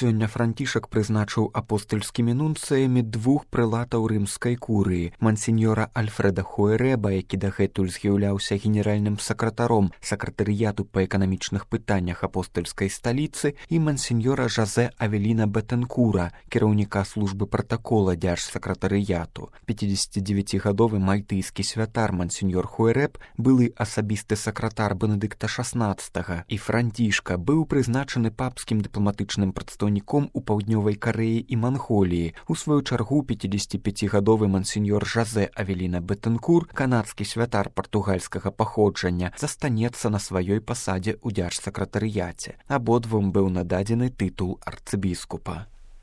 Сёння Францішак прызначыў апостальскімі нунцыямі двух прэлатаў рымскай курыі, мансіньора Альфрэда Хуэрэба, які дагэтуль з'яўляўся генеральным сакратаром сакратарыяту па эканамічных пытаннях апостальскай сталіцы, і мансіньора Жазэ Авеліна Бетэнкура, кіраўніка службы пратакола дзяржсакратарыяту. 59-гадовы мальтыйскі святар мансіньор Хуэрэб, былы асабісты сакратар Бенедыкта XVI і Францішка, быў прызначаны папскім дыпламатычным прадстаўніком у паўднёвай Карэі і Манголіі. У сваю чаргу 55-гадовы мансіньор Жазэ Авеліна Бетэнкур, канадскі святар партугальскага паходжання, застанецца на сваёй пасадзе ў дзяржсакратарыяце. Абодвум быў нададзены тытул арцыбіскупа.